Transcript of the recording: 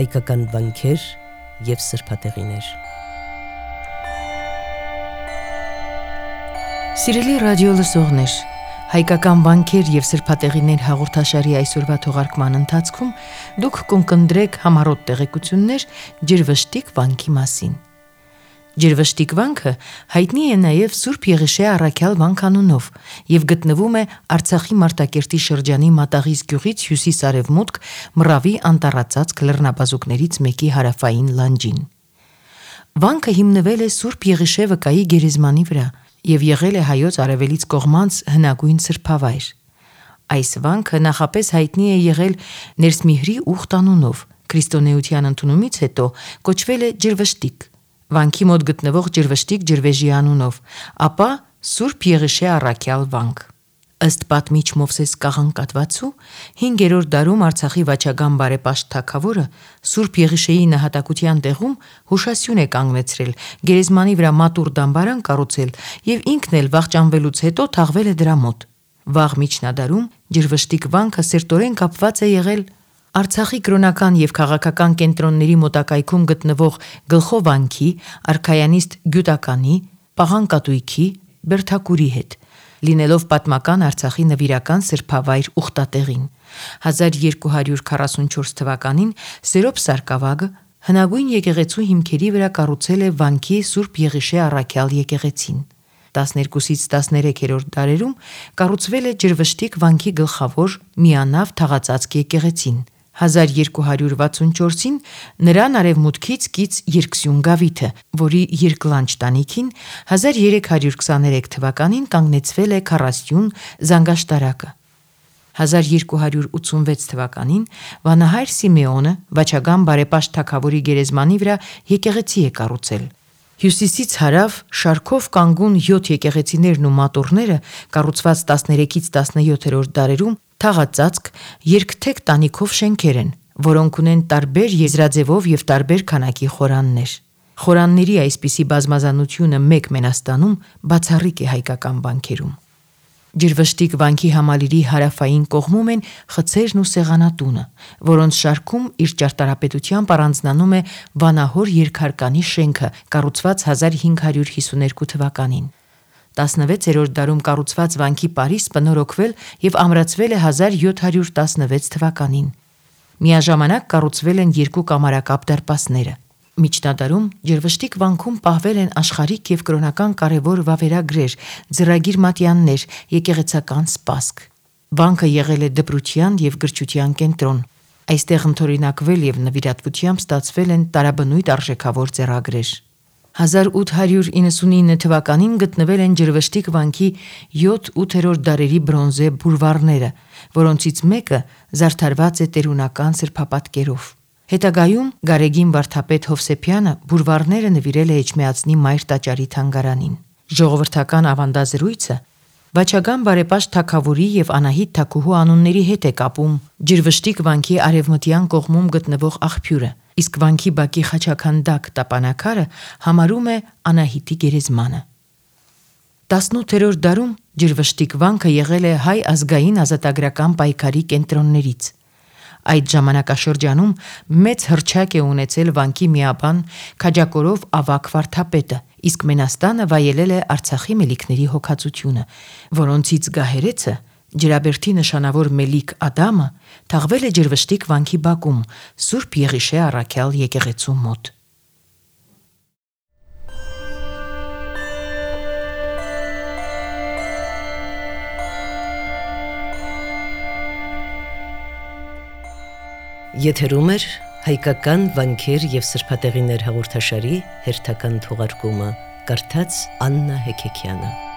հայկական վանքեր և սրբատեղիներ։ Սիրելի ռադիո լսողներ, հայկական վանքեր և սրբատեղիներ հաղորդաշարի այսօրվա թողարկման ընթացքում դուք կընկնդրեք համառոտ տեղեկություններ ջրվշտիկ վանքի մասին։ Ջրվշտիկ վանքը հայտնի է նաև Սուրբ Եղիշե առաքյալ վանք անունով և գտնվում է Արցախի Մարտակերտի շրջանի Մատաղիս գյուղից հյուսիս-արևմուտք Մռավի անտառածածկ լեռնաբազուկներից մեկի հարավային լանջին։ Վանքը հիմնվել է Սուրբ Եղիշե վկայի գերեզմանի վրա և եղել է հայոց արևելից կողմանց հնագույն սրբավայր։ Այս վանքը նախապես հայտնի է եղել Ներսմիհրի ուխտ անունով, քրիստոնեության ընդունումից հետո կոչվել է Ջրվշտիկ, վանքի մոտ գտնվող Ջրվշտիկ ջրվեժի անունով, ապա Սուրբ Եղիշե առաքյալ վանք։ Ըստ պատմիչ Մովսես Կաղանկատվացու 5-րդ դարում Արցախի վաճական բարեպաշտ թագավորը Սուրբ Եղիշեի նահատակության տեղում հուշասյուն է կանգնեցրել, գերեզմանի վրա մատուռ դամբարան կառուցել և ինքն էլ վախճանվելուց հետո թաղվել է դրա մոտ։ Վաղ միջնադարում Ջրվշտիկ վանքը սերտորեն կապված է եղել Արցախի կրոնական և քաղաքական կենտրոնների մոտակայքում գտնվող Գլխովանքի, Արքայանիստ Գյուտականի, Պաղանկատույքի, Բերդակուրի հետ, լինելով պատմական Արցախի նվիրական սրբավայր ուխտատեղին։ 1244 թվականին Սերոբ Սարգսակը հնագույն եկեղեցու հիմքերի վրա կառուցել է վանքի Սուրբ Եղիշե առաքյալ եկեղեցին։ 12-ից 13-րդ դարերում կառուցվել է Ջրվշտիկ վանքի գլխավոր միանավ թաղածածկ եկեղեցին։ 1264-ին նրան արևմուտքից կից երկսյուն գավիթը, որի երկլանջ տանիքին 1323 թվականին կանգնեցվել է քառասյուն զանգաշտարակը։ 1286 թվականին վանահայր Սիմեոնը վաճական բարեպաշտ թագավորի գերեզմանի վրա եկեղեցի է կառուցել։ Հյուսիսից հարավ շարքով կանգուն 7 եկեղեցիներն ու մատուռները կառուցված 13-ից 17-րդ դարերում թաղածածկ երկթեք տանիքով շենքեր են, որոնք ունեն տարբեր եզրաձևով և տարբեր քանակի խորաններ։ Խորանների այսպիսի բազմազանությունը մեկ մենաստանում բացառիկ է հայկական վանքերում։ Ջրվշտիկ վանքի համալիրի հարավային կողմում են խցերն ու սեղանատունը, որոնց շարքում իր ճարտարապետությամբ առանձնանում է Վանահոր երկհարկանի շենքը, կառուցված 1552 թվականին։ 16-րդ դարում կառուցված վանքի պարիսպը նորոգվել և ամրացվել է 1716 թվականին։ Միաժամանակ կառուցվել են 2 կամարակապ դարպասները։ Միջնադարում Ջրվշտիկ վանքում պահվել են աշխարհիկ և կրոնական կարևոր վավերագրեր, ձեռագիր մատյաններ, եկեղեցական սպասք։ Վանքը եղել է դպրության և գրչության կենտրոն։ Այստեղ ընդօրինակվել և նվիրատվությամբ ստացվել են տարաբնույթ արժեքավոր ձեռագրեր։ 1899 թվականին գտնվել են Ջրվշտիկ վանքի 7-8-րդ դարերի բրոնզե բուրվառները, որոնցից մեկը զարդարված է տերունական սրբապատկերով։ Հետագայում Գարեգին վարդապետ Հովսեփյանը բուրվառները նվիրել է Էջմիածնի Մայր տաճարի թանգարանին։ Ժողովրդական ավանդազրույցը վաճական բարեպաշտ թագավորի և Անահիտ թագուհու անունների հետ է կապում Ջրվշտիկ վանքի արևմտյան կողմում գտնվող աղբյուրը, իսկ վանքի բակի խաչաքանդակ տապանակարը համարում է Անահիտի գերեզմանը։ 18-րդ դարում Ջրվշտիկ վանքը եղել է հայ ազգային ազատագրական պայքարի կենտրոններից։ Այդ ժամանակաշրջանում մեծ հռչակ է ունեցել վանքի միաբան Քաջակորով Ավագ վարդապետը, իսկ մենաստանը վայելել է Արցախի մելիքների հոգածությունը, որոնցից գահերեցը Ջրաբերդի նշանավոր մելիք Ադամը թաղվել է Ջրվշտիկ վանքի բակում Սուրբ Եղիշե առաքյալ եկեղեցու մոտ։ Եթերում է հայկական վանքեր և սրբատեղիներ հաղորդաշարի հերթական թողարկումը, կարդաց Աննա Հեքեքյանը։